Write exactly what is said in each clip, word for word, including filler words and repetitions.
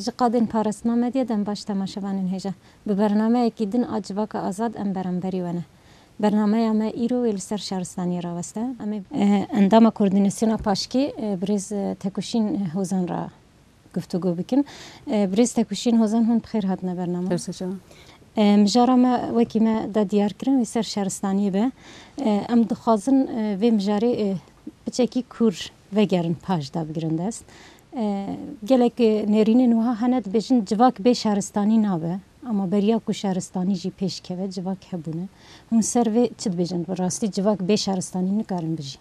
Ji qadên parastina medyê dem baş temaşevanên hêja. Bi bernameyekî din a Civaka Azad em beramberî we ne. Bernameya me îro wê li ser şaristaniyê raweste. Em ê, e, endama koordînasyona paşkî, e, birêz, e, Tekuşîn Hozan re guftûgo bikin. E, birêz Tekuşîn Hozan, hûn bi xêr hatine bername. Her sê çawa. E, mijara me wekî me da diyar kirin wê ser şaristaniyê be. E, em dixwazin, e, vê mijarê, e, piçekî kûr vegerin paş da bigirin dest. E, gelek, e, nêrînên wiha hene dibêjin civak bê şaristanî nabe. Ama beriya ku şaristanî jî pêş keve, civak hebûne. Hûn ser vê çi dibêjin? Bi rastî civak bê şaristanî nikarin bijî?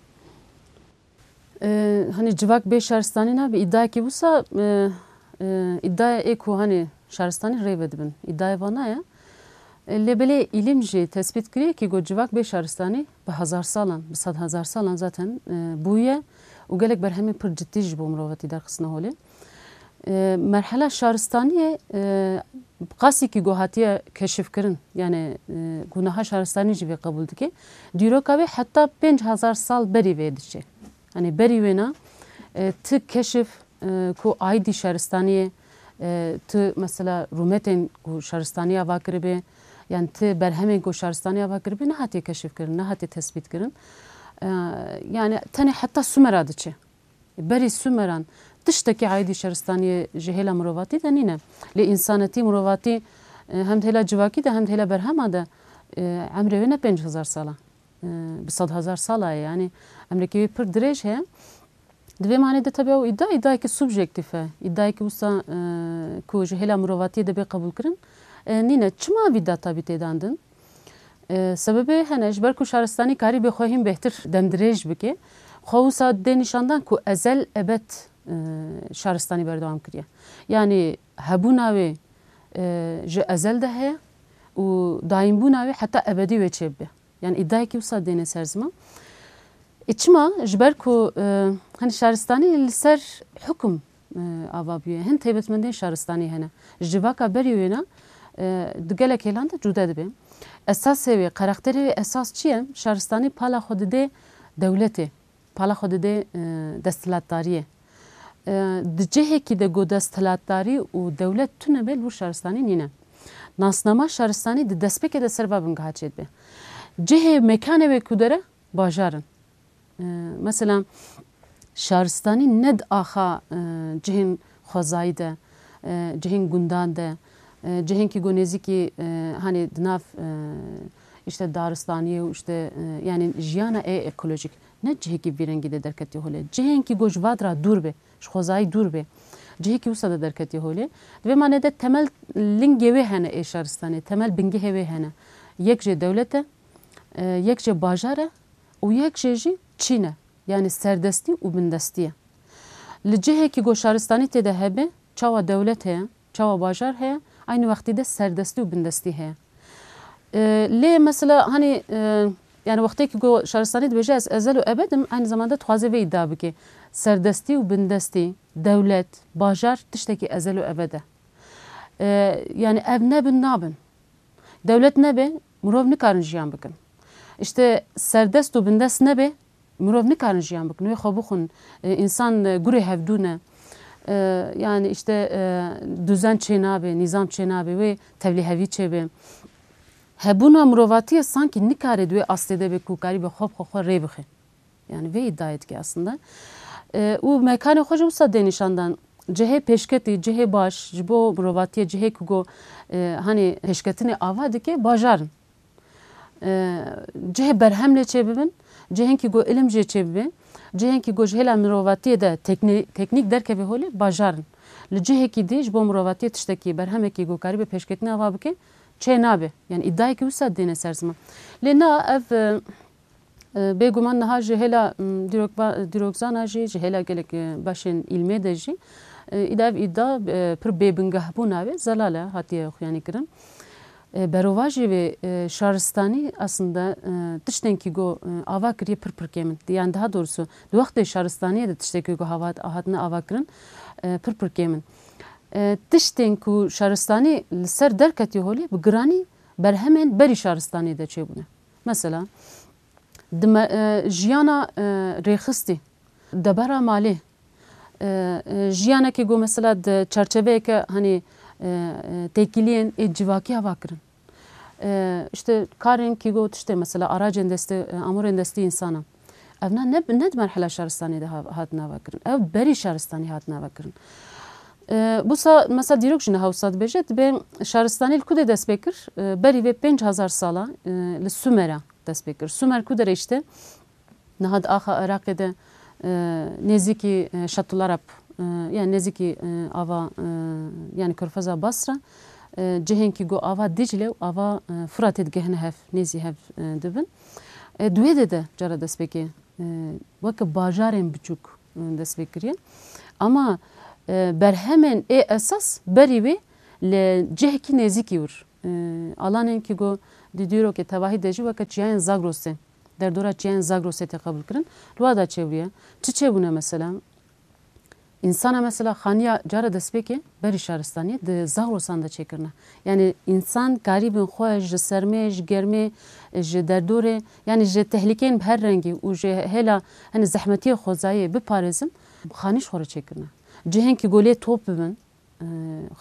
E, hani civak bê şaristanî nabe, îdayekî wisa, e, e, îdaya ê ku hani şaristanî rê vedibin. Îdaya vana ye. E, lê belê îlim jî tespît kiriye ki go civak bê şaristanî bi hezar salan, bi sed hezar salan zaten, e, bûye û gelek berhemên pir cidî ji bo mirovatî derxistine holê. E, merhela şaristaniyê, e, qasî ki go hatiye keşifkirin, yani, e, ku niha şaristanî jî vê qebûl dike, dîroka wê heta pênc hezar sal berî vê diçe. Hani berî wêna, e, ti keşif, e, ku aîdî şaristaniyê, e, ti mesela rûmetên ku şaristaniya va kiribe, yan ti berhemên ku şaristaniya va kiribe, nehatiye keşifkirin, nehatiye tespîtkirin. E, yani tenê heta Sumera diçe. Berî Sumeran tiştekî aîdî şaristaniyê ji hêla mirovatî de nîne. Lê însanetî, mirovatî, e, hem di hêla civakî de hem di hêla berhema de, e, emrê wê ne pênc hezar sala. E, bi sed hezar sala ye. Yani emrekî wê pir dirêj heye. Di vê manê de tabi ew îdia, îdiayekî subjektîf e. Îdiayekî wisa, e, ku ji hêla mirovatiyê dibe qebûlkirin, e, nîne. Çima vî data bî têdandin? E, sebebê hene, ji ber ku şaristanî karî bê xwe hîn bêhtir demdirêj bike, xwe wisa dê nîşandan ku ezel ebed, e, şaristanî berdewam kiriye. Yani hebûna wê, e, ji ezel de heye û dayînbûna wê heta ebedî wê çêbibe. Yani îdiayekî wisa dêne ser ziman. E, çima? Ji ber ku, e, hani şaristanî li ser hukum, e, ava bûye. Hin taybetmendên şaristanî hene. Ji civaka berî wêna, e, di gelek hêlan de cude dibe. Esasê wê, karakterê wê esas çi ye? Şaristanî pala xwe dide dewletê. Pala xwe dide, e, desthilatdariyê. E, di cihekî de ku desthilatdarî û dewlet tune be, li wir şaristanî nîne. Nasnama şaristanî di destpêkê de ser va bingeha çêdibe. Cihê mekanê wê ku dere bajar in. E, mesela şaristanî ne di axa, e, cihên xwezayî de, e, cihên gundan de, e, cihên ki ku nêzîkî, e, hani di nav, e, işte daristaniyê û işte, e, yani jiyana ê ekolojîk. Ne cihekî vî rengî de derketiye holê. Cihên ki ku ji va dira dûr be, ji xwezayî dûr be. Cihekî wisa de derketiye holê. Di vê manê de temel lingê wê hene ê şaristanê, temel bingehê wê hene. Yek jê dewlet e, e, yek jê bajar e û yek jê jî çîn e. Yani serdestî û bindestî ye. Li cihekî ku şaristanî tê de hebe, çawa dewlet heye, çawa bajar heye, aynî wextî de serdestî û bindestî heye. E, lê mesela hani, e, yani wextê ki ku şaristanî dibêje ez ezel û ebed im, aynî zamanda dixwaze vê îdia bike. Serdestî û bindestî, dewlet, bajar tiştekî ezel û ebed e. E, yani ev nebin nabin. Dewlet nebe, mirov nikarin jiyan bikin. İşte serdest û bindest nebe, mirov nikarin jiyan bikin. Wê xwe bixwin, e, însan, e, gurê hevdû ne. E, yani işte, e, duzen çê nabe, nîzam çê nabe, wê tevlîhevî çêbe. Hebûna mirovatiyê sankî nikare di wê astê de be ku karîbe xwe bi xwe xwe rê bixe. Yani vê îdiayê dike aslında. E, û mekanê xwe jî wisa dê nîşandan. Cihê pêşketî, cihê baş, ji bo mirovatiyê cihê ku go, e, hani pêşketinê ava dike, bajar in. E, cihê berhem lê çêbibin, cihên ki go ilim jê çêbibe, cihên ki go ji hêla mirovatiyê de teknî-, teknîk derkeve holê, bajar in. Li cihekî dî ji bo mirovatiyê tiştekî, berhemekî go karîbe pêşketinê ava bike, çê nabe. Yani îdiayekî wisa dêne ser ziman. Lê na ev, e, E, bêguman niha ji hêla, m, dîrokba-, dîrokzana jî, ji hêla gelek, e, beşên îlmê de jî, e, îda ev îda, e, pir bêbingehbûna wê zelal e, hatiye xuyanîkirin. E, berovajî wê, e, şaristanî aslında, e, tiştên ki go, e, ava kiriye pir pir kêm in. Yani daha doğrusu, di wextê şaristaniyê de tiştên ki go havat-, hatine ava kirin, e, pir pir kêm in. E, tiştên ku şaristanî li ser derketiye holê bi giranî berhemên berî şaristaniyê de çêbûne. Mesela, Di me-, e, jiyana, e, rêxistî, debera malê, E, e, jiyanekî ku mesela di çerçeveyeke, hanî, e, e, têkiliyên ê civakî ava kirin. E, işte karên kî ku tiştê mesela aracên destê, e, amorên destê însana. Ev ne, ne, ne di merhela şaristanî de ha-, hatin ava kirin. Ev berî şaristanî hatin ava kirin. E, busa mesela dîrok jî niha wisa dibêje, dibê şaristanî li ku de dest pê kir? E, berî vê pênc hezar sala, e, li Sumera dest pê kir. Sumer ku derê işte? Niha di axa Iraqê de, e, nêzîkî, e, Şatularab, e, yani nêzîkî, e, ava, e, yani Körfeza Basra, e, cihên kî ku ava Dîcle û ava, e, Firatê digihine hev, nêzî hev, e, dibin. E, di wê de de cara destpêkê, e, weke bajarên biçûk, e, destpê kiriye. Ama, e, berhemên ê esas berî wê li cihekî nêzîkî wir. E, alanên kî ku di dîrokê tevahî de jî weke çiyayên Zagrosê, derdora çiyayên Zagrosê tê qebûlkirin. Li wa da çêbûye. Çi çêbûne mesela? Însana mesela xaniya cara destpêkê berî şaristaniyê di Zagrosan de çêkirine. Yani însan karîbin xwe ji sermê, ji germê, ji derdorê, yani ji tehlîkeyên bi her rengî û ji hêla, hani, zehmetiyê xwezayê biparêzin, xanî ji xwe re çêkirine. Cihên kî ku lê top bibin, e,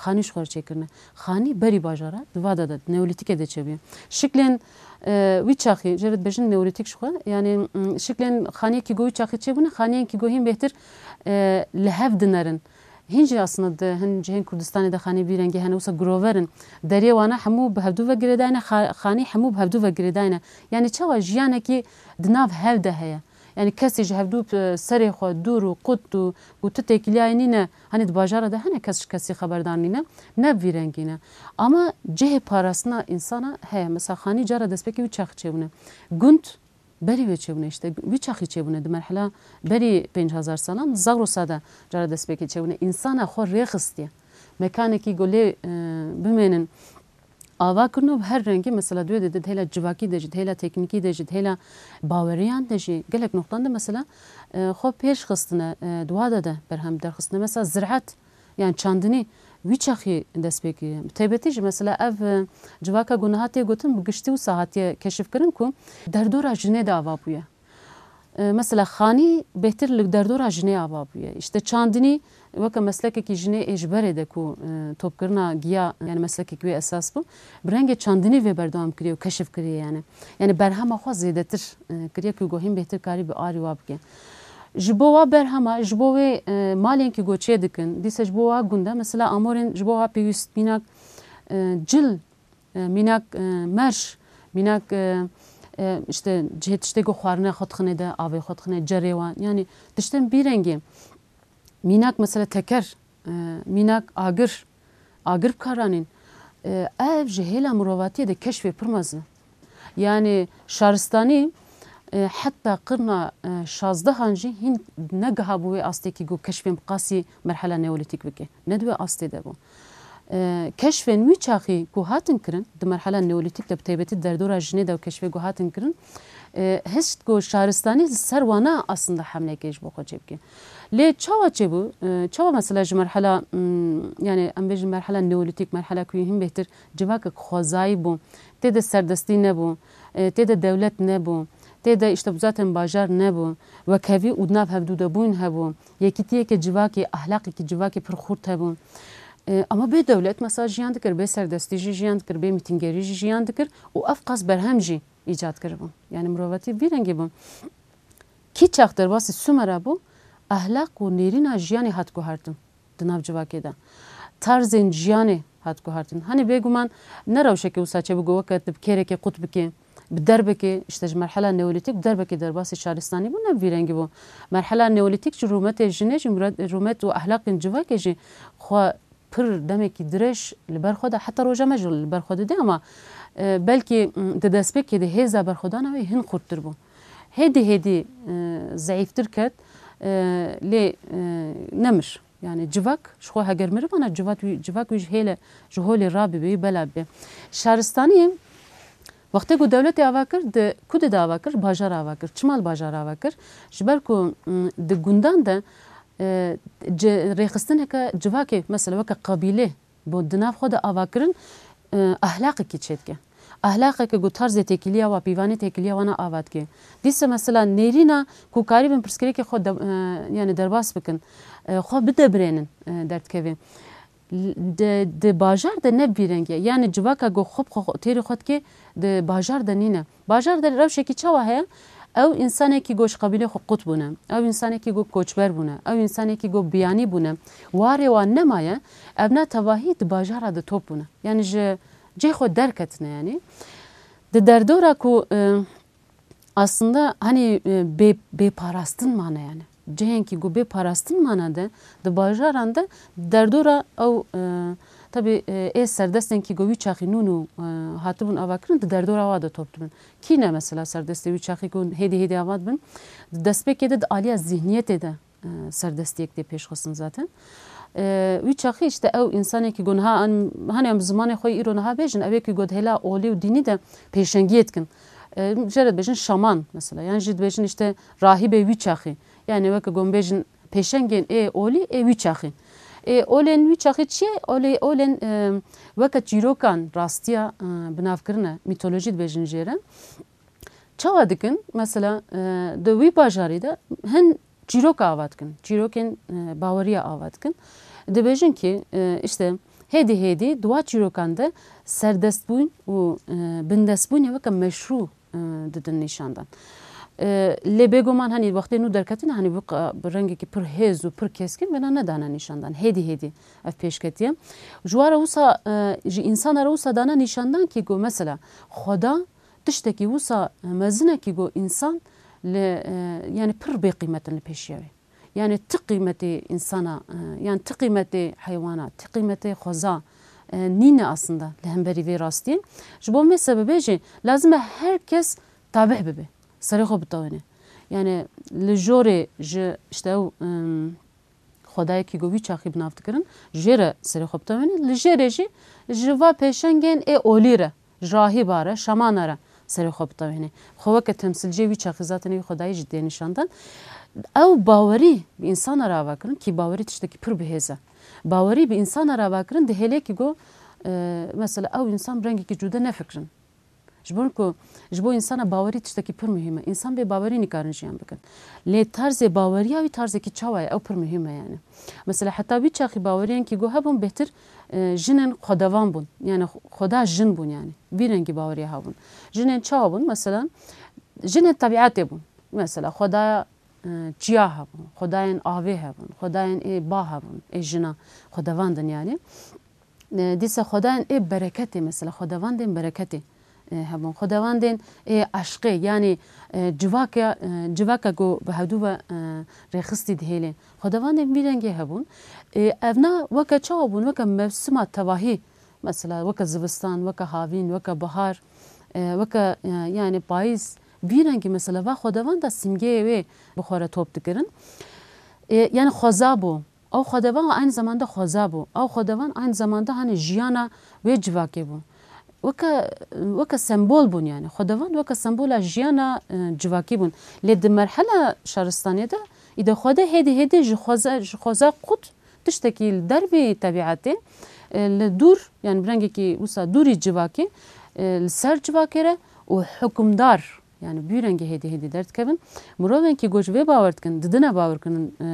xanî ji xwe re çêkirine. Xanî berî bajara di va de de, di neolîtîkê de çêbûye. Şiklên, e, wî çaxî, jê re dibêjin neolîtîk ji xwe, yani, m, şiklên xaniyekî ku wî çaxî çêbûne, xaniyên kî ku hîn bêhtir, e, li hev dinerin. Hîn jî aslında di hin cihên Kurdistanê de xanî vî rengî hene, wisa girover in. Deriyê wana hemû bi hevdû ve girêdayne, xa-, xanî hemû bi hevdû ve girêdayne. Yani çawa jiyanekî di nav hev de heye. Yani kesî ji hevdû, e, serê xwe dûr û qut û, û tu têkiliyayê nîne, hani di bajara de hene kes ji kesî xeberdar nîne, ne bi vî rengî ne. Ama cihê parastina însana heye. Mesela xanî cara destpêkê wî çaxî çêbûne. Gund berî wê çêbûne, işte wî çaxî çêbûne, di merhela berî pênc hezar salan Zagrosa de cara destpêkê çêbûne. Însana xwe rêxistiye. Mekanekî ku lê, e, bimênin, ava kirino bi her rengî, mesela di wê de di hêla civakî de jî, di hêla teknîkî de jî, di hêla baweriyan de jî gelek noqtan de mesela, e, xwe pêş xistine, e, di wa de de berhem derxistine. Mesela ziraet, yani çandinî wî çaxî dest pê kiriye. Bi taybetî jî mesela ev, e, civaka ku niha tê gotin bi giştî wisa hatiye keşifkirin ku derdora jinê de ava bûye. E, mesela xanî bêhtir li derdora jinê ava bûye. Îşte çandinî weke meslekekî jinê ê ji berê de ku, e, topkirina giya, yani meslekekî wê esas bû, bi rengê çandinî vê berdewam kiriye û keşif kiriye yani. Yani berhema xwe zêdetir, e, kiriye ku gohîn bêhtir karî bi arî wa bike. Ji bo wa berhema, ji bo wê, e, malên ku çê dikin, dîsa ji bo wa gunda, mesela amorên ji bo wa pêwîst mînak, e, cil, e, mînak, e, merş, mînak, e, e, işte cihê tiştê ku xwarine xwe dixine de, avê xwe dixine, cerê wan. Yani tiştên bî rengê. Mînak mesela teker, e, mînak agir, agir bi kar anîn. E, ev ji hêla mirovatiyê de keşfê pir mezin e. Yani şaristanî, e, heta qirna, e, şazdehan jî hîn negihabû wê astekî ku keşfên bi qasî merhela neolîtîk bike. Ne di wê astê de bû. E, keşfên wî çaxî ku hatin kirin, di merhela neolîtîk de bi taybetî derdora jinê de û keşfê ku hatin kirin, e, hişt ku şaristanî li ser wana aslında hemleyekê ji bo xwe çêbike. Lê çawa çêbû? E, çawa mesela ji merhela, mm, yani em bêjin merhela neolîtîk, merhela ku hîn bêhtir civakek xwezayî bû, tê de serdestî nebû, e, tê de dewlet nebû, tê de işte zaten bajar nebû, wekhevî û di nav hevdû de bûn hebû, yekîtiyeke civakê, ahlaqekî civakê pir xurt hebû. E, ama bê dewlet mesela jiyan dikir, bê serdestî jî jiyan dikir, bê mîtîngerî jî jiyan dikir û ev qas berhem jî îcad kiribû. Yani mirovatî vî rengî bû. Kî çax derbasî Sumera bû, ahlaq û nêrîna jiyanê hat guhertin di nav civakê de. Tarzên jiyanê hat guhertin. Hani bêguman ne rewşeke wisa çêbû ku weke tu bi kêrekê qut bikê, bi derbekê, işte ji merhela neolîtîk bi derbekê derbasî şaristanî bû, ne bi vî rengî bû. Merhela neolîtîk jî rûmetê jinê jî, mura-, rûmet û ahlaqên civakê jî xwe pir demekî dirêj li ber xwe de, heta roja me jî li ber xwe dide, ama, e, belkî, m, di destpêkê de hêza berxwedana wê hin xurttir bû. Hêdî hêdî, e, zeîftir ket, e, lê, e, nemir. Yani civak, ji xwe heger mirivana civak wî, civak wî ji hêle, ji holê rabibe, wî bela bibe. Şaristaniyê wextê ku dewletê ava kir, di ku de ava kir? Bajar ava kir. Çima li bajar ava kir? Ji ber ku, m, di gundan de, e, ci-, rêxistineke civakê, mesela weke qebîlê, bo di nav xwe de ava kirin, e, ahlaqekî çêdike. Ahlaqeke ku tarzê têkiliya wa, pîvanê têkiliya wana ava dike. Dîsa mesela nêrîna ku karîbin pirsgirêkê xwe de, e, yani derbas bikin, e, xwe bidebirênin, e, derdikeve. L-, di, di bajar de ne bi vî rengî ye. Yani civaka ku xwe bi xwe, têrî xwe dike, di bajar de nîne. Bajar de rewşekî çawa heye? Ew însanekî ku ji qebîlê xwe qut bûne, ew însanekî ku koçber bûne, ew însanekî ku biyanî bûne, warê wan nemaye, evna tevahî di bajara de top bûne. Yani ji cihê xwe derketine yani. Di derdora ku, e, aslında hani, e, bê, bê parastin mane yani. Cihên kî ku bê parastin mane de, di bajaran de, di derdora ew, e, tabi, e, ê serdestên kî ku wî çaxî nûn û, e, hatibûn avakirin, di derdora wa de top dibin. Kî ne mesela serdestê wî çaxî ku hêdî hêdî ava dibin? Di destpêkê de di aliya zihniyetê de e, serdestiyek tê pêşxistin zaten. E, wî çaxî işte ew însanekî ku niha an, hani em zimanê xwe îro niha bêjin, ew ê ku got hêla olî û dînî de pêşengiyê dikin. E, jê re dibêjin şaman mesela, yan jî dibêjin işte rahîbê wî çaxî. Yani weke ku em bêjin pêşengên ê olî ê wî çaxî. Ê olên wî çaxî çi ye? Olê, olên, e, weke çîrokan rastiya, e, binavkirine, mîtolojî dibêjin jê re. Çawa dikin? Mesela, e, di wî bajarî de hin çîroka ava dikin. Çîrokên, e, baweriya ava dikin. Dibêjin ki, e, işte, hêdî hêdî di wa çîrokan de serdestbûn û, e, bindestbûnê weke meşrû, e, didin nîşandan. E, lê bêguman, hani, wextê nû derketine, hani, bi qa-, bi rengekî pir hêz û pir keskin vêna nedane nîşandan. Hêdî hêdî ev pêşketiye. Ji wa re wisa, e, ji însana re wisa dane nîşandan ki ku, mesela, Xweda tiştekî wisa mezinekî ku însan li, e, yani pir bêqîmet in li pêşiya wê. Yani ti qîmetê însana, e, yani ti qîmetê heywana, ti qîmetê xweza, e, nîne aslında li hemberî vê rastiyê. Ji bo vê sebebê jî lazim e her kes tabî bibe, serê xwe bitewêne. Yani li jorê ji işte ew, em, Xwedayekî ku wî çaxî bi nav dikirin, jê re serê xwe bitewêne. Li jê re jî ji va pêşengên ê olî re, ji rahîba re, şamana re serê xwe bitewêne. Xwe weke temsîlciyê wî çaxî zaten wî xwedayî jî dê nîşandan. Ew bawerî bi însana re ava kirin, kî bawerî tiştekî pir bihêz e. Bawerî bi însana re ava kirin, dihêle kî ku, e, mesela ew însan bi rengekî cude nefikirin. Ji bo ku, ji bo însana bawerî tiştekî pir muhîm e. Însan bê bawerî nikarin jiyan bikin. Lê tarzê baweriya wî tarzekî çawa ye? Ew pir muhîm e yani. Mesela heta wî çaxî baweriyên kî ku hebûn bêhtir, e, jinên xwedevan bûn. Yani xweda jin bûn yani. Vî rengî baweriya hebûn. Jinên çawa bûn? Mesela jinên tebîetê bûn. Mesela xwedaya, e, çiya hebûn, xwedayên avê hebûn, xwedayên ê ba hebûn, ê jina xwedevandin yani. E, dîsa xwedayên ê bereketê, mesela xwedevandên bereketê, e, hebûn. Xwedevandên ê eşqê, yanî, e, civaka, e, civaka ku bi hevdû ve, e, rêxistî dihêlê. Xwedevandên vî rengê hebûn. E, evna weke çawa bûn? Weke mewsima tevahî, mesela weke zivistan, weke havîn, weke bihar, e, weke, e, yani payîz. Vî rengî mesela va xwedevanda simgeyê wê bi xwe re top dikirin. E, yani xweza bû. Ew xwedevan aynı zamanda xweza bû. Ew xwedevan aynı zamanda hani jiyana wê civakê bû. Weke, weke sembol bûn yani. Xwedevan weke sembola jiyana, e, civakî bûn. Lê di merhela şaristaniyê de, îde xwede hêdî hêdî ji xweza, ji xweza qut tiştekî li dervî tebîetê, e, li dûr, yani bi rengekî wisa dûrî civakê, e, li ser civakê re û hukimdar, yani bi vî rengî hêdî hêdî derdikevin. Mirovên kî ku ji vê bawer dikin, didine bawerkirin, e,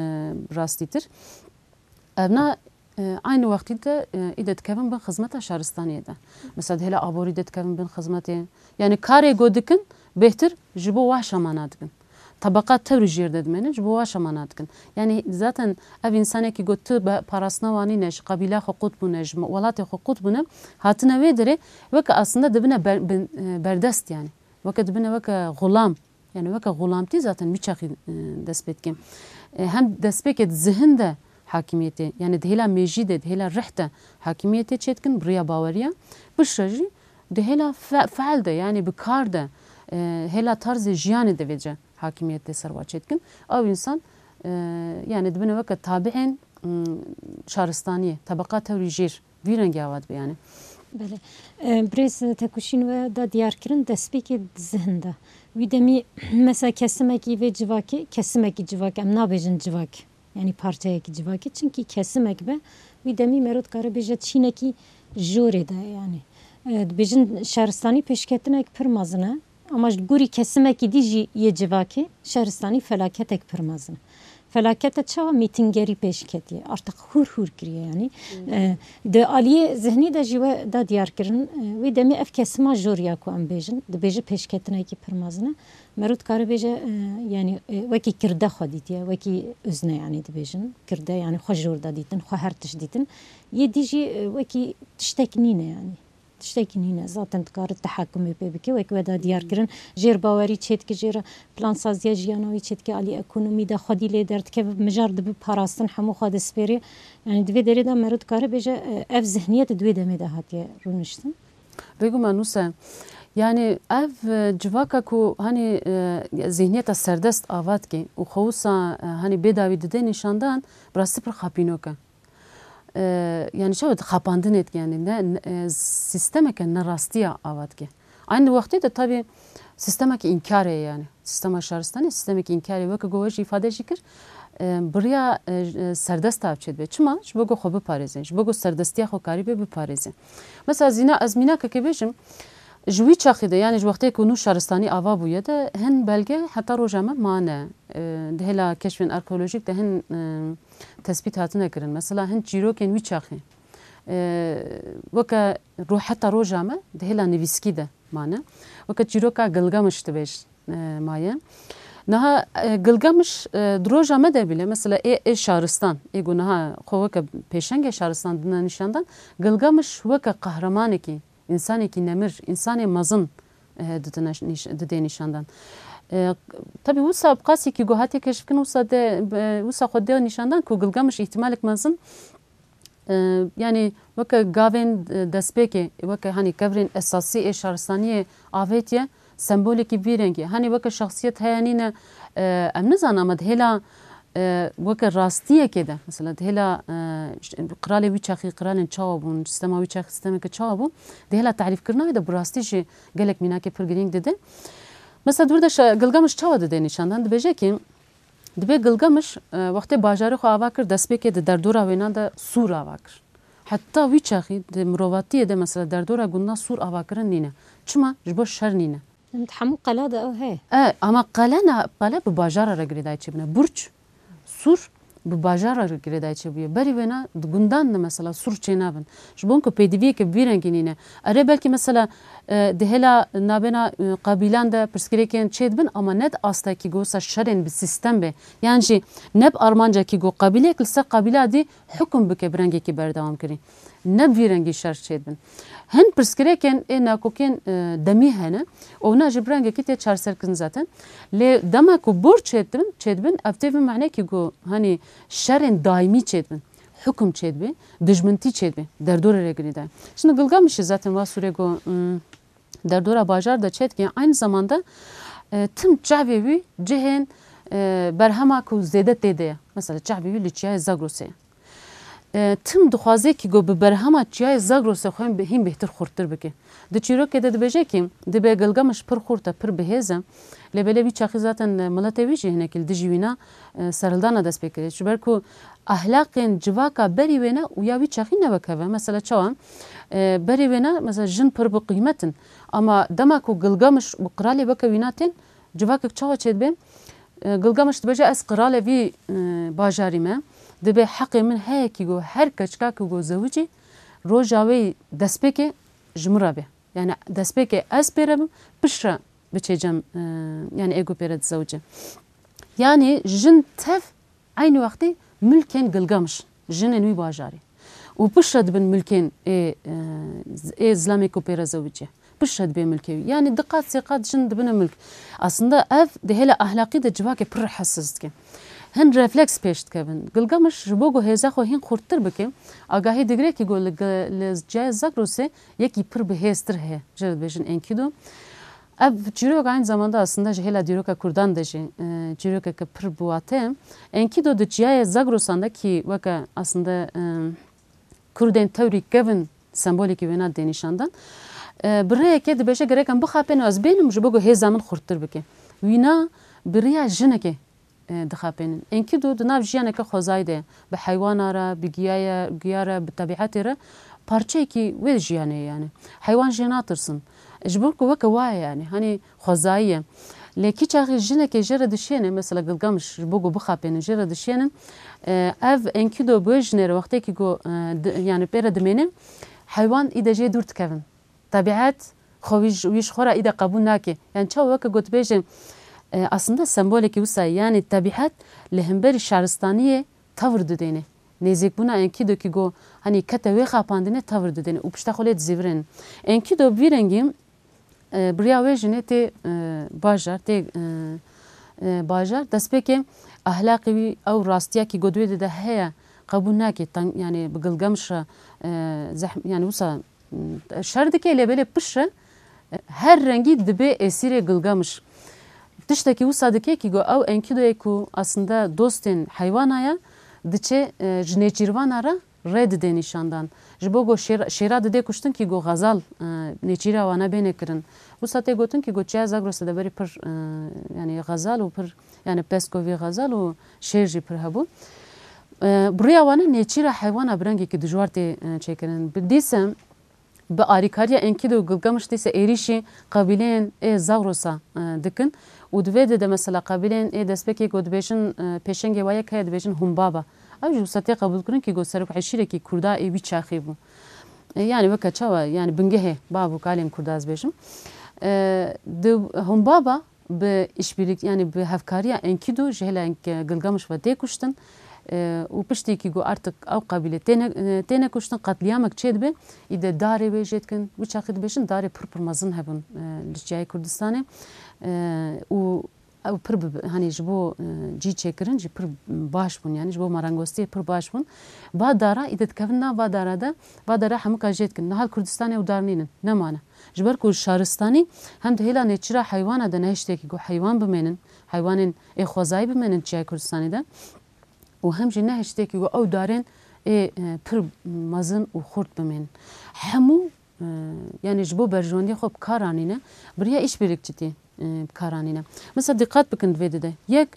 rastîtir. Evna, e, aynı wextî de, e, îde dikevin bin xizmeta şaristaniyê de. Mesela di hêla aborî de dikevin bin xizmetê. Yani karê ku dikin, bêhtir ji bo wa şamana dikin. Tebeqa tewrî jêr de dimênin, ji bo wa şamana dikin. Yani zaten ev însanekî ku tu be-, parastina wa nîne, ji qebîla xwe qut bûne, ji welatê xwe qut bûne, hatine wê derê weke aslında dibine ber-, bin, e, berdest yani. Weke dibine weke xulam. Yani weke xulamtî zaten wî çaxî, e, dest pê dike. E, hem destpêkê di zihin de hakimiyetê, yani di hêla mêjî de, di hêla rih de hakimiyetê çêdikin, bi riya baweriya. Piştre jî di hêla fe-, feal de, yani bi kar de, e, hêla tarzê jiyanê de vêce hakimiyetê ser wa çêdikin. Ew însan, e, yani dibine weke tabiên, m, şaristaniyê, tebeqa tewrî jêr. Vî rengî ava dibe yani. Belê. E, birêz Tekuşîn we da diyar kirin, destpêkê di zihin de. Wî demî mesela kesimekî vê civakê, kesimekî civak, em nabêjin civak. Yani parçeyekî civakê. Çimkî kesimek be, wî demî mero dikare bêje çînekî jorê de yani. E, dibêjin şaristanî pêşketinek pir mezin e, ama ji gorî kesimekî dî jî yê civakê şaristanî felaketek pir mezin e. Felakete çawa mîtingerî pêş ketiye, artık hûr hûr kiriye yanî. E, di aliyê zihnî de jî we da diyar kirin, e, wê demê ev kesima jor ya ku em bêjin, dibêje pêşketinekî pir mezin e. Meriv dikare bêje, e, yanî, e, wekî kirde xwe dîtiye, wekî uzne yanî dibêjin. Kirde yanî xwe jor da dîtin, xwe her tişt dîtin. Yê dî jî, e, wekî tiştek nîne yanî. Tiştekî nîne. Zaten dikare tehakumê pê bike, wek we da diyar kirin. Jêr bawerî çêdike, jêr plansaziya jiyana wî çêdike, alî ekonomî de xwedî lê derdikeve, mijar dibe parastin, hemû xwe dispêrê. Yanî di vê derê de meriv dikare bêje, e, ev zihniyet di wê demê de hatiye rûniştin. Beguma Nûse, yanî ev, e, civaka ku hanî, e, zihniyeta serdest ava dike û xwe wisa, e, hanî bêdawî dide nîşandan, bi rastî pir xapînok e. E, yanî çawa xapandinê dike, yanî ne, ne, e, sîstemeke nerastiya ava dike. Aynı wextê de tabî sîstemeke înkarê ye yanî. Sîstema şaristanê sîstemeke înkarê ye. Weke ku we jî îfade jî kir, e, bi riya, e, e, serdest av çêdibe. Çima? Ji bo ku xwe biparêze. Ji bo ku serdestiya xwe karîbe biparêze. Mesela zîna, ez mînakekê bêjim, ji wî çaxî de, yanî ji wextê ku nû şaristanî ava bûye de hin belge heta roja me mane. E, di hêla keşfên arkeolojîk de hin, e, tespît hatine kirin. Mesela hin çîrokên wî çaxî, e, weke ro-, heta roja me di hêla nivîskî de mane. Weke çîroka Gilgamiş dibêj, e, maye. Niha, e, Gilgamiş, e, di roja me de bile, mesela ê, ê şaristan, ê ku niha xwe weke pêşengê şaristan dine nîşandan, Gilgamiş weke qehremanekî, însanekî nemir, însanê mezin, e, didine nîş-, didê nîşandan. E, tabî wisa bi qasî ku hatiye keşfkirin, wisa de, e, wisa xwe de nîşandan ku Gilgamiş îhtimalek mezin, e, yanî weke gavên, e, destpêkê, weke hanî kevirên esasî ê şaristaniyê avêtiye, sembolekî vî rengî. Hanî weke şexsiyet heye nîne, e, em nizanin ama di hêla, e, weke rastiyekê de, mesela di hêla, e, işte, qiralê wî çaxî, qiralên çawa bûn, sîstema wî çaxî, sîstemeke çawa bû, di hêla tarîfkirina wê de bi rastî jî gelek mînakê pir girîng dide. Mesela di wir de şa-, Gilgamiş çawa dide nîşandan? Dibêje ki, dibê Gilgamiş, e, wextê bajarê xwe ava kir, destpêkê di derdora wêna de sûr ava kir. Heta wî çaxî di mirovatiyê de mesela derdora gundan sûr avakirin nîne. Çima? Ji bo şer nîne. Em di hemû qela de ew heye. E, ama qele ne, qele bi bajara re girêdayî çêbûne. Burç, sûr bi bajara re girêdayî çêbûye. Berî wêna di gundan de mesela sûr çênabin. Ji bo ku pêdiviyeke vî rengî nîne. Erê belkî mesela, e, di hêla nabêna, e, qebîlan de pirsgirêkên çêdibin ama ne di astekî ku wisa şerên bi sîstem be. Yan jî ne bi armancekî ku qebîleyek li ser qebîla dî hukm bike bi rengekî berdewam kirî. Ne bi vî rengî şer çêdibin. Hin pirsgirêkên ê nakokên, e, demî hene. Û wina jî bi rengekî tê çareserkirin zaten. Lê dema ku bor çêdibin, çêdibin, ev tê vê manekî ku hanî şerên daîmî çêdibin. Hukm çêdibe, dijmintî çêdibe. Derdorê re girî de. Şimdi Gilgamişî zaten wa sûrê ku, mm, derdora bajar de çêdike, aynı zamanda, e, tim çavê wî cihên, e, berhema ku zêde tê de ye. Mesela çavê wî li çiyayê Zagrosê ye. E, tim dixwaze ki ku bi berhema çiyayê Zagrosê xwe hîn bê-, hîn bêhtir xurttir bike. Di çîrokê de dibêje ki, dibe Gilgamiş pir xurt e, pir bihêz e. Lê belê wî çaxî zaten, e, miletê wî jî hinekî li dijî wîna, e, serhildana dest pê kiriye. Ji ber ku ahlaqên civaka berî wêne û ya wî çaxî ne wek hev e. Mesela çawa? E, berî wêne, mesela jin pir bi qîmet in. Ama dema ku Gilgamiş û qiralê weke wîna tên, civakek çawa çêdibe? E, Gilgamiş dibêje, ez qiralê vî, e, bajarî me. Dibê heqê min heye ki go her keçika ki go zewicî, roja wê destpêkê ji min re be. Yani destpêkê ez pê re bim, piştre biçê cem, e, yani ê ku pê re dizewicê. Yani jin tev eynî wextî milkên Gilgamiş, jinên wî bajarî. Û piştre dibin milkên ê, e, ê zilamê ku pê re zewicî. Piştre dibê milkê wî. Yani di qat sê qat jin dibine milk. Aslında ev di hêla ahlaqî de civakê pir rehesiz dike. Hin refleks pêş dikevin. Gilgamiş ji bo ku hêza xwe hîn xurttir bike, agahî digire ki ku li, li ciyayê Zagrosê yekî pir bihêztir heye. Jê re dibêjin Enkidu. Ev çîrok aynı zamanda aslında ji hêla dîroka Kurdan de jî, e, çîrokeke pir bi wate ye. Enkidu di çiyayê Zagrosan de ki weke aslında, e, Kurdên tewrî kevin sembolekî wêna dê nîşandan. E, bi rêyekê dibêje gerek em bixapên û ez bênim ji bo ku hêza min xurttir bike. Wîna bi riya jinekê e, dixapênin. Enkidu di nav jiyaneke xwezayî de ye. Bi heywana re, bi giyaya-, giya re, bi tebîetê re parçeyekî wê jiyanê ye yani. Heywan jê natirsin. Ji bo ku weke wa ye yani. Hani xwezayî ye. Lê kî çaxî jinekê jê re dişêne, mesela Gilgamiş ji bo ku bixapênin, jê re dişênin. E, ev Enkidu bi wê jinê re wextê ki ku, e, di-, yani pê re dimêne, heywan î de jê dûr dikevin. Tebiet xwe wî ji, wî ji xwe re î de qebûl nake. Yani çawa weke ku dibêje, e, aslında sembolekî wisa ye. Yani tebiet li hemberî şaristaniyê tevr didêne. Nêzîkbûna Enkidu ki got, hani kete wê xapandinê tevr didêne û pişta xwe lê dizîvirên. Enkidu bi vî rengî, e, bi riya wê jinê tê, e, bajar, tê, e, e, bajar. Destpêkê ahlaqê wî ew rastiya ki got wê de heye qebûl nake. Tang-, yani bi Gilgamiş re, e, zehm-, yani wisa şer dike, lê belê piştre her rengî dibe esîrê Gilgamiş. Tiştekî wisa dike ki got ew Enkidoyê ku aslında dostên heywana ye, diçe, e, ji nêçîrvana re rê dide nîşandan. Ji bo got şêra, şêra dide kuştin ki got xezal, e, nêçîra wana bêne kirin. Wisa tê gotin ki got çiya Zagrosê de berî pir, e, yani xezal û pir, yani peskovî xezal û şêr jî pir hebû. E, bi riya wana nêçîra heywana bi rengekî dijwar tê, e, çêkirin. Bi dîse, bi alîkariya Enkidu û Gilgamiş dîse êrîşî qebîleyên ê Zagrosa, e, dikin û di vê de, de mesela qebîleyên ê destpêkê ku dibêjin, e, pêşengê wa yek heye dibêjin Humbaba. Ew jî wisa tê qebûlkirin ki got serok eşîrekî Kurda ê wî çaxî bû. E, yani weke çawa, yani bingehê bav û kalên Kurda ez bêjim. E, di Humbaba bi işbirlik, yani bi hevkariya Enkidu ji hêla Enk-, Gilgamiş ve tê kuştin. E, û piştî ki got artık ew qebîle têne, e, têne kuştin, qetlîyamek çêdibe, î de darê wê jê dikin. Wî çaxî dibêjin darê pir pir mezin hebûn, e, li çiyayê Kurdistanê. E, û ew pir bi, hani ji bo, e, cî çêkirin jî pir baş bûn, yani ji bo marangostiyê pir baş bûn. Va dara, î de dikevin nav va dara de, va dara hemûka jê dikin. Niha li Kurdistanê ew dar nînin, nemane. Ji ber ku şaristanî hem di hêla nêçîra heywana de ne hiştekî ku heywan bimênin, heywanên ê xwezayî bimênin çiyayê Kurdistanê de û hem jî ne hiştekî ku ew darên ê, e, pir mezin û xurt bimênin. Hemû, e, yani ji bo berjewendiyê xwe bi kar anîne, bi riya îşbirlikçitî, e, bi kar anîne. Mesela dîqat bikin di vê de de. Yek,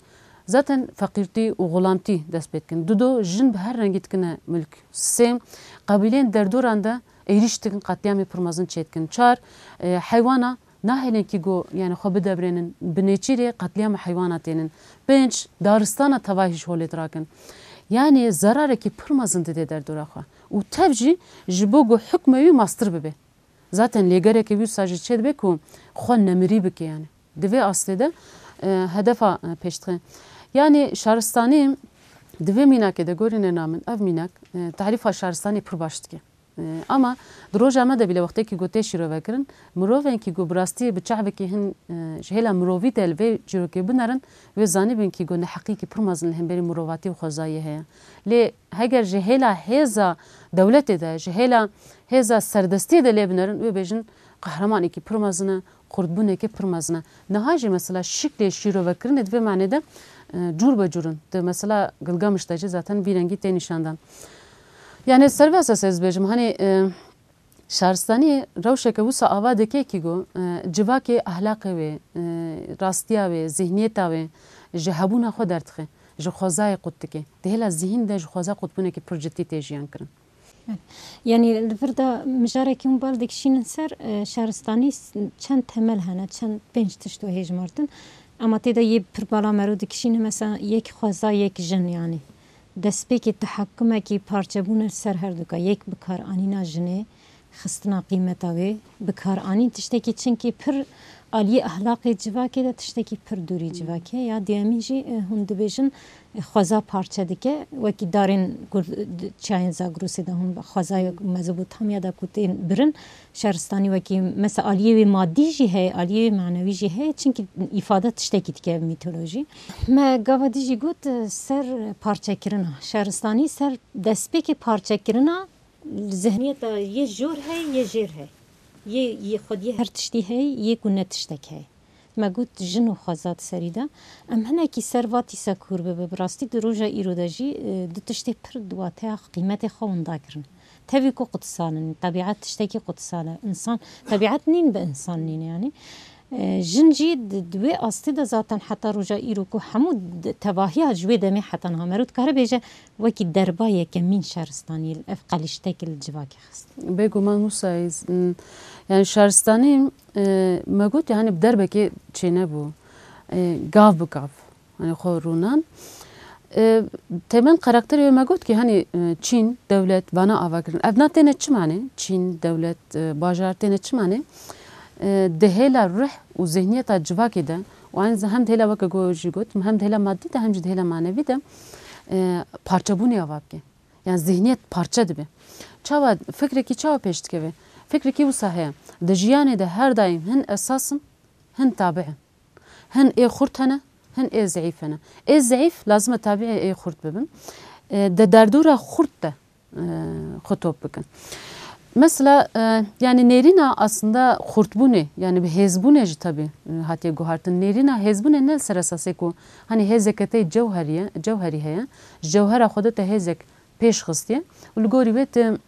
zaten feqîrtî û xulamtî dest pê dikin. Dudo, jin bi her rengî dikine milk. Sê, qebîleyên derdoran de êrîş dikin, qetlîyamê pir mezin çê dikin. Çar, e, heywana nahêlin ki got, yani xwe bidebrênin, bi nêçîrê qetlîyama heywana tênin. Pênc, daristana tevahî ji holê dirakin. Yani zerarekî pir mezin dide derdora xwe. Û tev jî ji bo got hukmê wî mastir bibe. Zaten lêgerekê wî wisa jî çêdibe ku xwe nemirî bike yani. Di vê astê de, e, hedefa, e, pêş dixe. Yani şaristanî di vê mînakê de gorîne namin, ev mînak, e, tarîfa şaristanê pir baş dike. E, ama di roja me de bîle wextekî ku tê şîrove kirin, mirovên ki ku bi rastî bi çavekî hin, e, ji hêla mirovî de li vê çîrokê binerin, wê zanîbin ki ku neheqîkî pir mezin li hemberî mirovatî û xwezayê heye. Lê heger ji hêla hêza dewletê de, ji hêla hêza serdestiyê de lê binerin, wê bêjin qehremanekî pir mezin e, xurtbûnekê pir mezin e. Niha jî mesela şiklê şîrovekirinê di vê manê de, e, cûr be cûr in. Di mesela Gilgamiş de jî zaten vî rengî tê nîşandan. Yani ser vê esasê ez dibêjim, hani, e, şaristanî rewşeke wisa ava dike ki got, e, civakê ahlaqê wê, e, rastiya wê, zihniyeta wê ji hebûna xwe derdixe, ji xwezayê qut dike. Di hêla zihîn de ji xweza qutbûnekî pir cidî tê jiyan kirin. Yani li vir de mijarekî hûn bal dikişînin ser, e, şaristanî s-, çend temel hene, çend pênc tişt wehê jimartin. Ama tê de yê pir bala mero dikişîne, mesela yek xweza, yek jin yani. Destpêkê tehakumekî parçebûne li ser herduka, yek bikaranîna jinê, xistina qîmeta wê, bikaranîn tiştekî çinkî pir aliyê ahlaqê civakê de tiştekî pir dûrî civakê. Ya duyemîn jî, e, hûn dibêjin, e, xweza parçe dike, wekî darên gur-, çiyayên Zagrosê de hûn xwezayê Mezopotamya de ku tên birin, şaristanî wekî mesela aliyê wê madî jî heye, aliyê wê manewî jî heye, çinkî îfade tiştekî dike ev mîtolojî. Me gava dî jî got, e, ser parçekirina. Şaristanî ser destpêkê parçekirina zihniyeta yê jor heye, yê jêr heye. Yê, yê xwediyê her tiştî heye, yê ku ne tiştek heye. Me got jin û xweza di serî de. Em hinekî ser va tîsa kûr bibe. Bi rastî di roja îro de jî, e, du tiştê pir di wateya qîmetê xwe winda kirin. Tevî ku qutsal in, tebiat tiştekî qutsal e. Însan, tebiat nîn bi însan nîn e, yanî. E, jin jî di, di wê astê de zaten heta roja îro ku hemû d-, tevahiya ji wê demê heta niha mero dikare bêje wekî derba yekemîn şaristaniyê li ev qelîştek li civakê xist. Bêguman Mûsa, ez, m, yani şaristanî, e, me got, yani bi derbekê çênebû. E, gav bi gav, yani xwe rûnan. E, temel karakterê wê me got ki, hani, e, çîn, dewlet, vana ava kirin. Ev na têne çi mane? Çîn, dewlet, e, bajar têne çi mane? E, di hêla ruh û zihniyeta civakê de û aynı zam-, hem di hêla weke go-, jî gotim, hem di hêla madî de, hem jî di hêla manevî de, e, parçebûnê ava bike. Yani zihniyet parçe dibe. Çawa, fikrekî çawa pêş dikeve? Fikrekî wisa heye. Di jiyanê de her daim hin esas in, hin tabi in. Hin ê xurt hene, hin ê zeîf hene. Ê zeîf lazim e tabiê ê xurt bibin. E, de derdora xurt de, e, xwe top bikin. Mesela, e, yani nêrîna aslında xurtbûnê, yani bi hêzbûnê jî tabi, e, hatiye guhartin. Nêrîna hêzbûnê ne li ser esasê ku hani hêzeke te cewherî ye, cewherî heye, ji cewhera xwe de te hêzek pêş xistiye û li gorî wê tu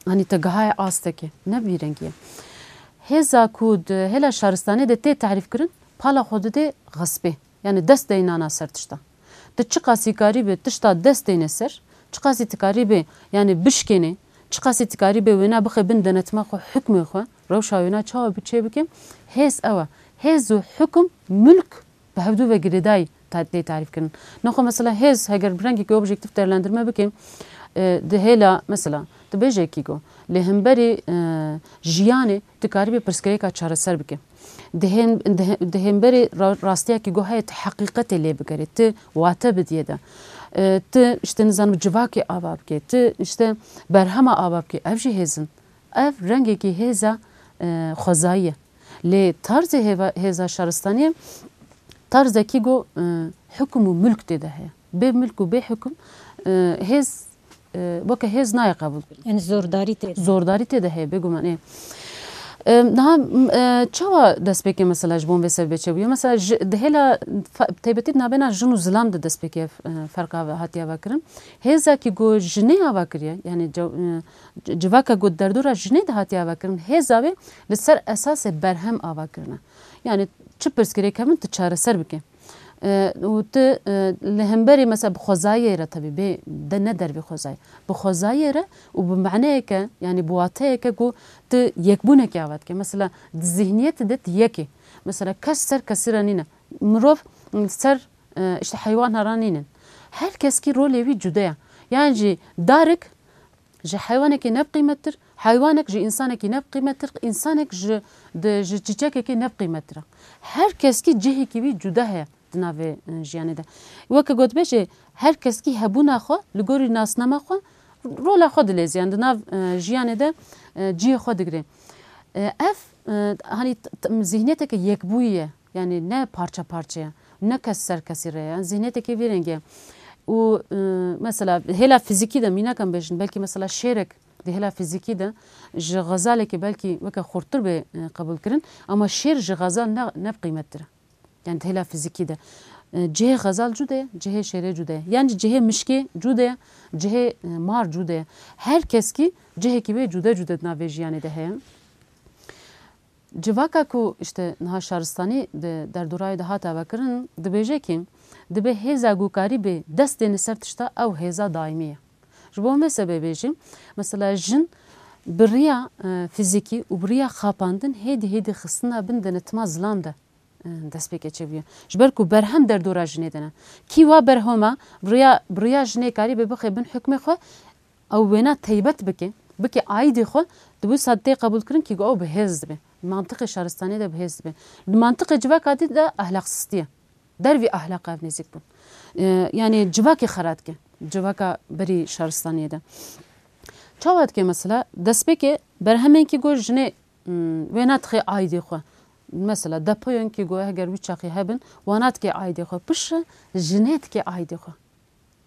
Anî te gihaye astekê, ne bi vî rengî ye. Hêza ku di hêla şaristanê de tê tarîf kirin, pala xwe didê xespê. Yani dest deynana ser tişta. Tu çiqasî karî bê tişta dest deyne ser, çiqasî tu karî bê, yani bişkênê, çiqasî tu karî bê wêna bixê bin denetima xwe, hukmê xwe, rewşa wêna çawa bi çê bike, hêz ew e. Hêz û hukum, mulk bi hevdû ve girêdayî ta-, tê tarîf kirin. Nexwe mesela hêz, heger bi rengekî objektif değerlendirme bikim, e, di hêla mesela, tu bêjekî ku li hemberî, e, jiyanê tu karîbî pirsgirêka çareser bike. Di hên-, di hê-, di hemberî ra-, rastiyekî ku heye tu heqîqetê lê bigerê, tu wate bidiyê de. E, tu işte nizanim civakê ava bike, tu işte berhema ava bike. Ev jî hêz in. Ev rengekî hêza, e, xwezayî ye. Lê tarzê hêva-, hêza şaristaniyê tarzekî ku, e, hukum û mulk tê de heye. Bê mulk û bê hukum, e, hêz, e, weke hêz nayê qebûl kirin. Yani zordarî tê de. Zordarî tê de heye, bêguman ê. E, niha, m, e, çawa destpêkê mesela ji bo vê sebebê çêbûye? Mesela ji, di hêla fa-, taybetî di navbêna jin û zilam de destpêkê, e, ferqa ve hatiye vekirin. Hêzekî ku jinê ava kiriye, yani cew-, e, c-, civaka ku derdora jinê de hatiye ava kirin, hêza wê li ser esasê berhem ava kirine. Yani çi pirsgirêk hebin tu çareser bike. E, û tu, e, li hemberî mesela bi xwezayê re, tabii bê de ne dervê xwezayê. Bi xwezayê re û bi maneyeke, yani bi wateyeke ku tu yekbûnekê ava dike. Mesela di zihniyetê de tu yek î. Mesela kes ser kesî re nîne. Mirov ser, e, işte heywana re nînin. Her keskî rolê wî cude ye. Yani jî darik ji heywanekî ne bi qîmettir, heywanek ji însanekî ne bi qîmettir, însanek ji, di, ji çîçekekê ne bi qîmettir e. Her keskî cihekî wî cuda heye di navê, e, jiyanê de. Weke gotbêjê, her keskî hebûna xwe, li gorî nasnama xwe, rola xwe dilêziyan di nav, e, jiyanê de, e, cihê xwe digire. E, ev, e, hani t-, t-, zihniyeteke yekbûyî ye. Yani ne parça parçe ye, ne kes ser kesî re ye. Yani zihniyetekê vî rengê ye. Û, e, mesela hêla fizîkî de mînak em bêjin, belkî mesela şêrek di hêla fizîkî de ji xezalekê belkî weke xurttir bê, e, qebûl kirin, ama şêr ji xezal ne, ne bi qîmettir e. Yani di hêla fizîkî de, e, cihê xezal cude ye, cihê şêrê cude ye. Yani cihê mişkê cude ye, cihê, e, mar cude ye. Her keskî cihekî wê cude cude di navê jiyanê de heye. Civaka ku işte niha şaristanî di derdorayê de hate vekirin, dibêje ki dibe hêza ku karî bê dest dêne ser tişta ew hêza daîmî ye. Ji bo me sebebê jî, mesela jin bi riya, e, fizîkî û bi riya xapandin hêdî hêdî xistina bin denetima zilam de, e, destpêkê çêbûye. Ji ber ku berhem derdora jinê de ne. Kî wa berhoma bi riya, bi riya jinê karî bê bixê bin hukmê xwe, ew wêna teybet bike, bike aîdê xwe, di wisa tê qebûlkirin kî ku ew bi hêz dibe. Mantiqê şaristanê de bi hêz dibe. Di mantiqê civaka dî de ahlaqsistî ye. Dervî ahlaq ev nêzîk bûn. E, yani civakê xera dike. Civaka berî şaristaniyê de. Çawa dike mesela? Destpêkê berhemên kî ku jinê, hmm, wêna dixê aîdê xwe. Mesela depoyên kî ku heger wî çaxî hebin, wana dike aîdê xwe. Piştre jinê dike aîdê xwe.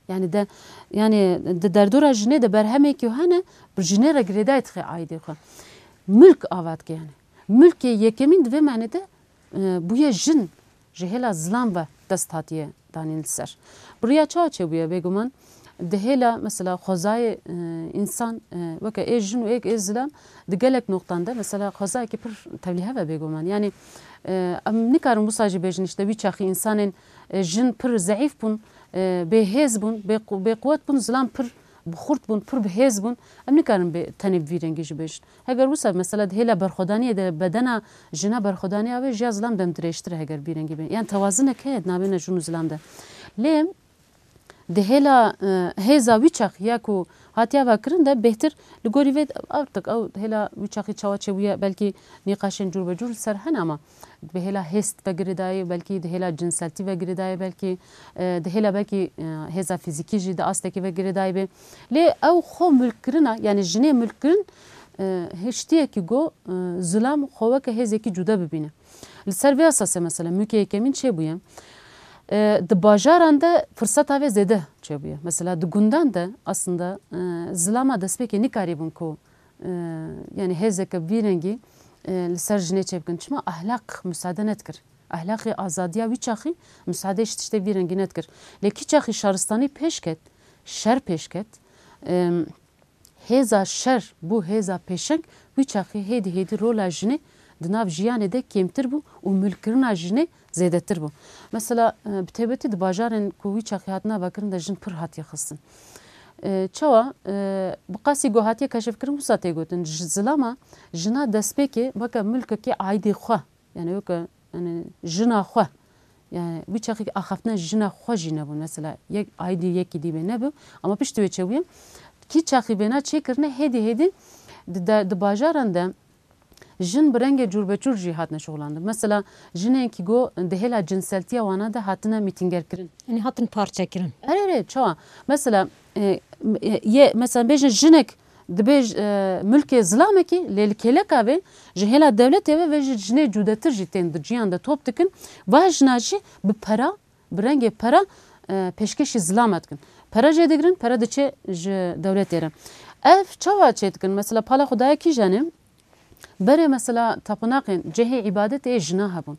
Yani de, yani di derdora jinê de berhemekî hene, bi jinê re girêdayî dixe aîdê xwe. Milk ava dike yani. Milkê yekemîn di vê manê de, e, bûye jin ji hêla zilam ve dest hatiye danîn li ser. Bi riya çawa çêbûye bêguman? Di hêla mesela xwezayê, e, însan, e, weke ê jin û êk ê zilam di gelek noqtan de mesela xwezayekî pir tevlîhev e bêguman. Yanî, e, em nikarin wisa jî bêjin işte wî çaxî însanên, e, jin pir zeîf bûn, e, bêhêz bûn, bêqu-, bêquwet bûn, zilam pir bi xurt bûn, pir bi hêz bûn. Em nikarin bê, tenê bi vî rengî jî bêjin. Heger wisa mesela di hêla berxwedaniyê de bedena jina berxwedaniya wê ji ya zilam dem dirêjtir e heger bi vî rengî bên. Yan tewazinek heye di navêna jin û zilam de. Lê di hêla, e, hêza wî çaxî ya ku hatiye vekirin de bêhtir li gorî vê artık ew hêla wî çaxî çawa çêbûye, belkî nîqaşên cûr be cûr li ser hene ama bi hêla hêst ve girêdayê, belkî di hêla cinseltî ve girêdayê, belkî, e, di hêla belkî, e, hêza fîzîkî jî di astekî ve girêdayê bê. Lê ew xwe mulkkirina, yanî jinê mulkkirin, e, hiştiyekî go, e, zilam xwe weke hêzekî cude bibîne. Li ser vê esasê mesela mûkê yekemîn çêbûye. E, di bajaran de firseta vê zêde çêbûye. Mesela di gundan de aslında, e, zilama destpêkê nikarîbûn ku, e, yanî hêzeke vî rengî, e, li ser jinê çêbikin. Çima ahlaq musade nedikir. Ahlaqê azadiya wî çaxî musade ji tiştê vî rengî nedikir. Lê kî çaxî şaristanî pêş ket, şer pêş ket, e, hêza şer bû hêza pêşeng, wî çaxî hêdî hêdî rola jinê di nav jiyanê de kêmtir bû û mulkkirina jinê zêdetir bû. Mesela, e, bi taybetî di bajarên ku wî çaxî hatina vekirin de jin pir hatiye xistin. E, çawa? E, bi qasî ku hatiye keşifkirin wisa tê gotin. Ji zilama jina destpêkê weke mulkekê aîdê xwe, yanî weke, yanî jina xwe. Yanî wî çaxî axaftina jina xwe jî nebûn. Mesela yek aîdî yekî dî bê nebû. Ama piştî wê çêbûye. Kî çaxî vêna çêkirine hêdî hêdî di de, di bajaran de jin bi rengê cûrbecûr jî hatine şixulandin. Mesela jinên kî go di hêla cinseltiya wana de hatine mîtîngerkirin. Yanî hatin parçekirin. Erê, erê, çawa? Mesela, e, e, ye, mesela bêjin jinek dibê, e, mulkê zilamekî, lê li kêleka vê ji hêla dewletê ve vê ji jinê cudetir jî tên di ciyan de top dikin. Va jina jî bi pera, bi rengê pera, e, pêşkêşî zilama dikin. Pera jê digirin, pera diçe ji dewletê re. Ev çawa çê dikin? Mesela pala xwe daye kîjanê? Berê mesela tapinaqên cihê îbadetê ê jina hebûn.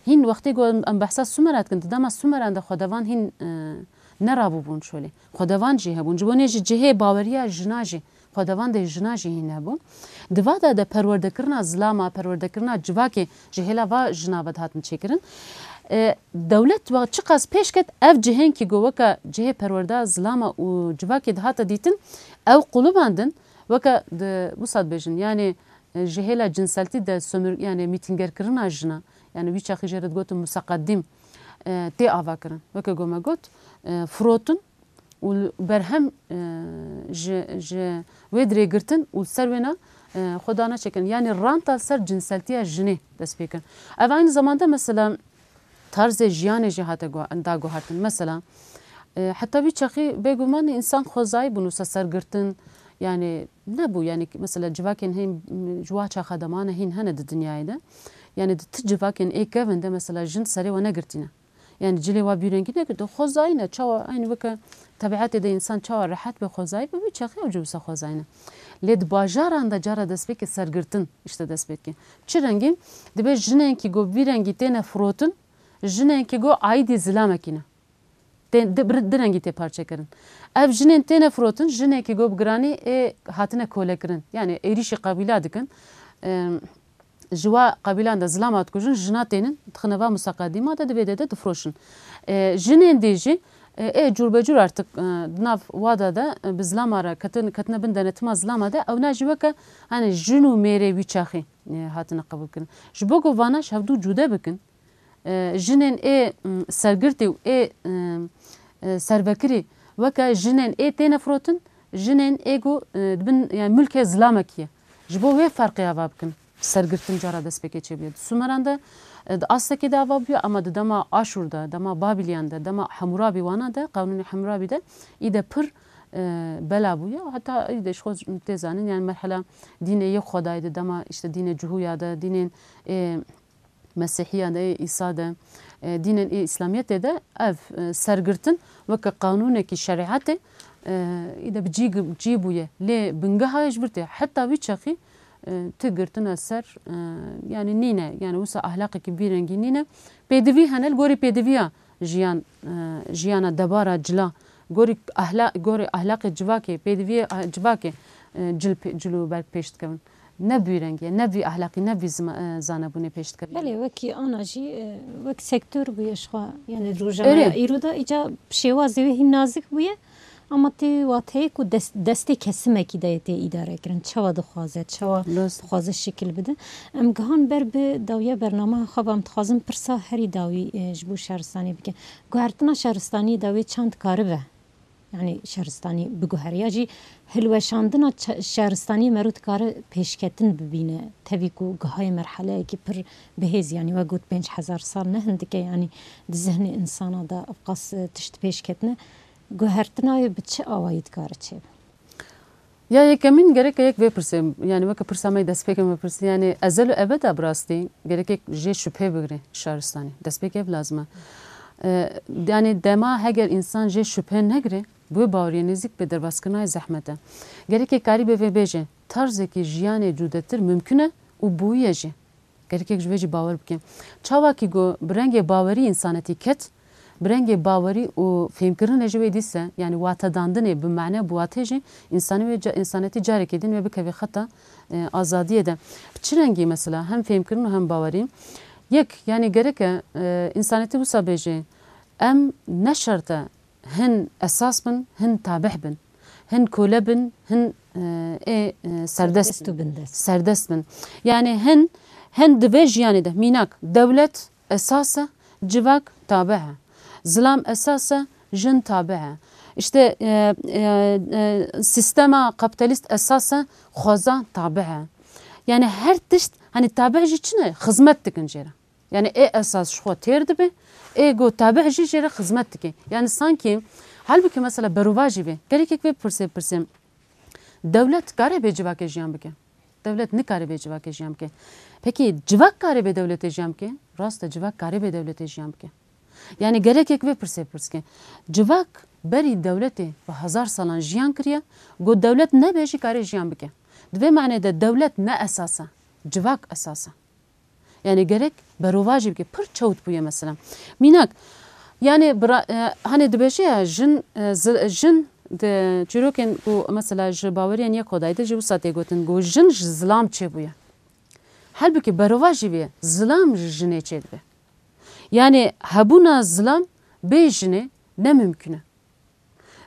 Hîn wextê ku em, em behsa Sumera dikin, di dema Sumeran de xwedevan hîn, e, nerabûbûn şolê. Xwedevan jî hebûn. Ji bo nê ji cihê baweriya jina jî, xwedevan de jina jî hîn hebûn. Di va de de perwerdekirina zilama, perwerdekirina civakê ji hêla va jina ve dihatin çêkirin. E, dewlet wa çiqas pêş ket ev cihên kî ku weke cihê perwerda zilama û civakê dihate dîtin, ew qulibandin, weke di wisa dibêjin, yanî, e, ji hêla cinseltî de sömür-, yanî mîtîngerkirina jina, yanî wî çaxî jê re digotin museqedîm, e, tê avakirin. Weke ku me got, e, firotin û berhem, e, ji, ji wê dirê girtin û ser wêna, e, xwe dane çêkirin. Yanî ranta li ser cinseltiya jinê dest pê kirin. Ev aynî zamanda mesela tarzê jiyanê jî hate guha-, da guhertin. Mesela, e, heta vî çaxî bêguman însan xwezayî bûn wisa sergirtin, yanî nebû, yanî mesela civakên hên, m, ji wa çaxa demane hîn hene di dinyayê de. Yanî di ti civakên ê kevin de mesela jin serê we negirtîne. Yanî cilê wa bîrengî negirtin. Xwezayî ne, çawa, aynî weke tebiatê de însan çawa rehet be xwezayî be, vî çaxê ew jî wisa xwezayî ne. Lê di bajaran de cara destpêkê sergirtin, işte destpêkê. Çi rengî? Dibê jinên kî go vî rengî têne firotin, jinên kî go aîdî zilamekî ne. Tê, di, bir, di rengî tê parçekirin. Ev jinên têne firotin, jinekî go bi giranî ê hatine kolekirin. Yanî êrîşî qebîla dikin. Em, ji wa qebîlan de zilama dikujin, jina tênin, dixine va museqedîma de, di vê de de difiroşin. E, jinên dî jî, e, ê cûrbecûr artık, e, di nav wada de, e, bi zilama re ketin, ketine bin denetima zilama de, ewna jî weke, hani jin û mêrê wî çaxî, e, hatine qebûl kirin. Ji bo ku vana ji hevdû cude bikin, e, jinên ê, m, sergirtî û ê, e, e, servekirî weke jinên ê têne firotin, jinên ê ku, e, di bin, yani, mulkê zilamekî ye. Ji bo wê ferqê ava bikin. Sergirtin cara destpêkê çêbûye. Di Sumeran de, e, di astekê de ava bûye, ama di dema Aşûr de, dema Babîliyan de, dema Hemûrabî wana de, Qanûnê Hemûrabî de, î de pir, e, bela bûye. Heta î de ji xwe tê zanin, yani merhela dînê yek xwedayê de, dema işte dînê Cihûya de, dînên, e, Mesîhiya de, Îsa de, e, dînên ê Îslamiyetê de ev, e, sergirtin weke qanûnekî şerîetê, e, î de bi cî, cî bûye. Lê bingeha ji vir tê. Heta wî çaxî, e, ti girtine ser, e, yani nîne. Yani wisa ahlaqekî vî rengî nîne. Pêdivî hene, li gorî pêdiviya jiyan, e, jiyana debara cila, Gorî ehla-, gorî ehlaqê civakê, pêdiviyê, eh, civakê, eh, cil pê-, cil û berg pêş dikevin. Ne bi wî rengî ye, ne bi wî ehlaqî, ne bi wî zima-, eh, zanebûnê pêş dikevin. Belê, wekî ana jî, eh, wek sektor bûye ji xwe, yani rojaneya Erê. îro de îca şêwazê wê hîn nazik bûye, ama tê wateyê ku dest-, destê kesimekî de yê tê îdare kirin. Çawa dixwaze, çawa Rast. dixwaze şekil bide. Em gihan ber bi dawiya bernameya xwe ve, em dixwazin pirsa herî dawî, eh, ji bo şaristanî bikin. Guhertina şaristaniyê de wê çend karibe? Yani şaristanî biguhere ya jî hilweşandina ça-, şaristaniyê mero dikare pêşketin bibîne, tevî ku gihayê merheleyekî pir bihêz, yani we got pênc hezar sal ne hindike, yani di zihnê insana de evqas, e, tişt pêş ketine, guhertina wê bi çi awayî dikare çêbe? Ya yekemîn gereke yek vê pirsê, yani weke pirsa me destpêkê me pirsî, yani ezel û ebeda bi rastî gerek yek jê şüphê bigre şaristanî. Destpêkê ev lazim e. E, yani dema heger însan jê şüphê negre, bi wê baweriyê nêzîk bê, derbazkirina wê zehmet e. Gerek yek karîbe vê bêje, tarzekî jiyanê cudetir mimkun e û bûye jî. Gerek yek ji vê jî bawer bike. Çawa kî ku bi rengê bawerî însanetî ket, bi rengê bawerî û fêmkirinê jî wê dîse, yani watedandinê bi mane, bi watê jî, însanî wê ca-, însanetî carekê din wê bikeve xeta, e, azadiyê de. Bi çi rengî mesela hem fêmkirin û hem bawerî? Yek, yani gerek e, e, însanetî wisa bêje, em ne şert e hin esas bin, hin tabih bin, hin kole bin, hin, e, ê, e, serdest Serdest û bindest. serdest bin. Yani hin, hin di vê jiyanê de, mînak, dewlet esas e, civak tabih e. Zilam esas e, jin tabih e. İşte, e, e, e, sistema kapitalîst esas e, xweza tabih e. Yani her tişt, hani tabih jî çi ne? Xizmet dikin jê re. Yani ê esas ji xwe têr dibe, ê ku tabih jî jê re xizmet dike. Yani sankî, halbûkî mesela berovajî be. Gerek yek vê pirsê pirsê. Dewlet kare bê civakê jiyan bike? Dewlet nikare bê civakê jiyan bike. Pekî civak kare bê dewletê jiyan bike? Rast e, civak kare bê dewletê jiyan bike. Yani gerek yek vê pirsê pirs ke. Civak berî dewletê bi hezar salan jiyan kiriye, ku dewlet nebe jî kare jiyan bike. Di vê manê de dewlet ne esas e, civak esas e. Yani gerek berovajî bike. Pir çewt bûye mesela. Mînak, yani bira-, e, hani dibêje ya jin, e, zil-, jin di çîrokên ku mesela ji baweriyan yek Xwedayê de jî wisa tê gotin ku jin ji zilam çêbûye. Halbûkî berovajî bûye, zilam ji jinê çêdibe. Yani hebûna zilam bê jinê ne mimkun e.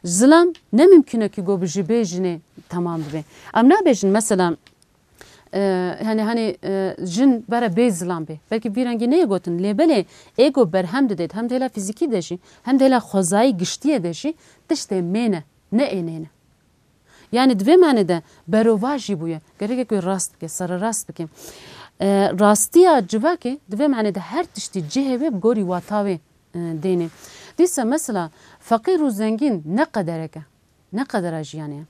Zilam ne mimkun e ki go bi ji bê jinê temam bibe. Em nabêjin mesela, e, hani, hani, e, jin bere bê zilam bê. Belkî vî rengî neyê gotin, lê belê ê go berhem didêt, hem di hêla fîzîkî de jî, hem di hêla xwezayî giştiyê de jî tiştê mê ne, ne ê nê ne. Yani di vê mane de berovajî bûye. Gerek e ku rast bike, sererast bike. E, rastiya civakê di vê mane de her tiştî cihê wê bi gorî wata wê, e, dêne. Dîsa mesela feqîr û zengîn ne qederek e. Ne qedera jiyanê ye.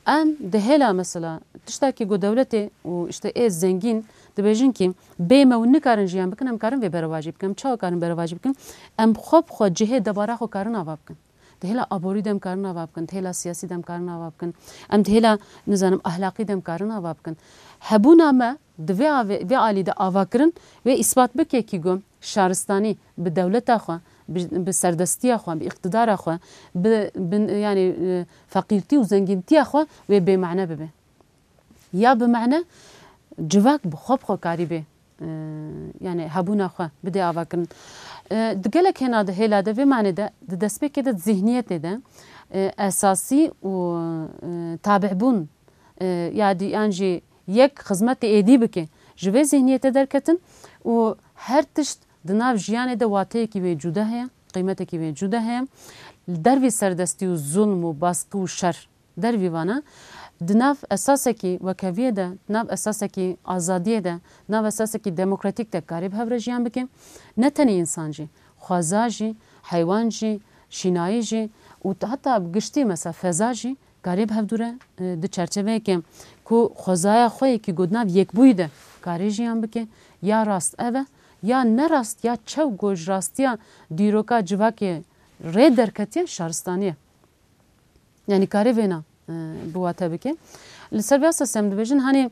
Em di hêla mesela tiştakî ku dewletê û işte ê zengîn dibêjin ki bê me hûn nikarin jiyan bikin, em karin vê berovajî bikin. Em çawa karin berovajî bikin? Em xwe bi xwe cihê debara xwe karin ava bikin. Di hêla aborî de em karin ava bikin, di hêla siyasî de em karin ava bikin, em di hêla, nizanim, ahlaqî de em karin ava bikin. Hebûna me di vê avê-, vê alî de ava kirin, wê îspat bike ki ku şaristanî bi dewleta xwe, bi, bi serdestiya xwe, bi îqtidara xwe, bi, bi, yani, e, feqîrtî û zengîntiya xwe wê bêmane bibe. Ya bi mane civak bi xwe bi xwe karî bê, e, yani hebûna xwe bidê avakirin. E, di gelek hêna de, hêla de vê mane de di destpêkê de, di zihniyetê de, e, esasî û, e, tabihbûn, e, ya dî, yan jî yek xizmetê êdî bike, ji vê zihniyetê derketin û her tişt di nav jiyanê de wateyekî wê cuda heye, qîmetekî wê cuda heye. Li dervî serdestî û zulm û baskı û şer, dervî vana, di nav esasekî wekeviyê de, di nav esasekî azadiyê de, di nav esasekî demokratîk de karê bi hev re jiyan bike. Ne tenê însan jî, xweza jî, heywan jî, şînayî jî û t-, heta bi giştî mesela feza jî karê bi hevdû re, e, di çerçeveyeke ku xwezaya xwe yekî ku di nav yekbûyî de karê jiyan bike. Ya rast ev e, ya ne rast, ya çew ku ji rastiya dîroka civakê rê derketiye, şaristanî ye. Yani karê vêna, e, bi wate bike. Li ser vê esasê em dibêjin, hani,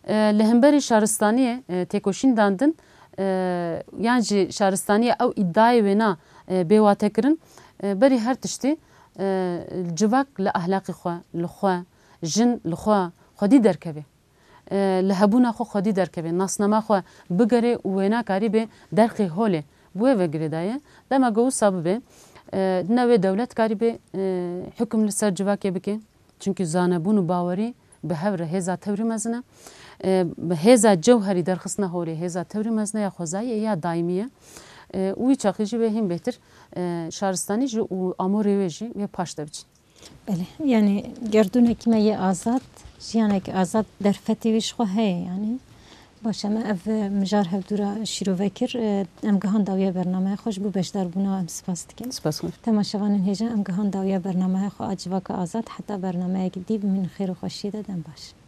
e, li hemberî şaristaniyê, e, têkoşîn dandin, e, yan jî şaristaniyê ew îdiayê wêna, e, bê wate kirin, e, berî her tiştî, E, civak li ahlaqê xwe, li xwe, jin li xwe xwedî derkeve. E, li hebûna xwe xwedî derkeve. Nasnama xwe bigere û wê nekarî bê derxê holê. Bi wê ve girêdaye. Dema ku wisa bibe, e, ne wê dewlet karî bê, e, hukm li ser civakê bike. Çimkî zanebûn û bawerî bi hev re hêza tewrî mezin e. E, hêza cewherî derxistina holê, hêza tewrî mezin e, ya xwezayî ye, ya daîmî ye. E, û wî çaxî jî wê hîn bêhtir, e, şaristanî jî û amorê wê jî wê paş de biçin. Belê, yanî gerdûnekî me yê azad, jiyanek azad derfetê wî ji xwe heye yanî. Baş e, me ev mijar hevdû re şîrove kir. E, em gihan dawiya bernameya xwe, ji bo beşdarbûna em spas dikin. Spas xwe. Temaşevanên hêja, em gihan dawiya bernameya xwe a Civaka Azad, heta bernameyek dî bi min xêr û xweşiyê de dem baş.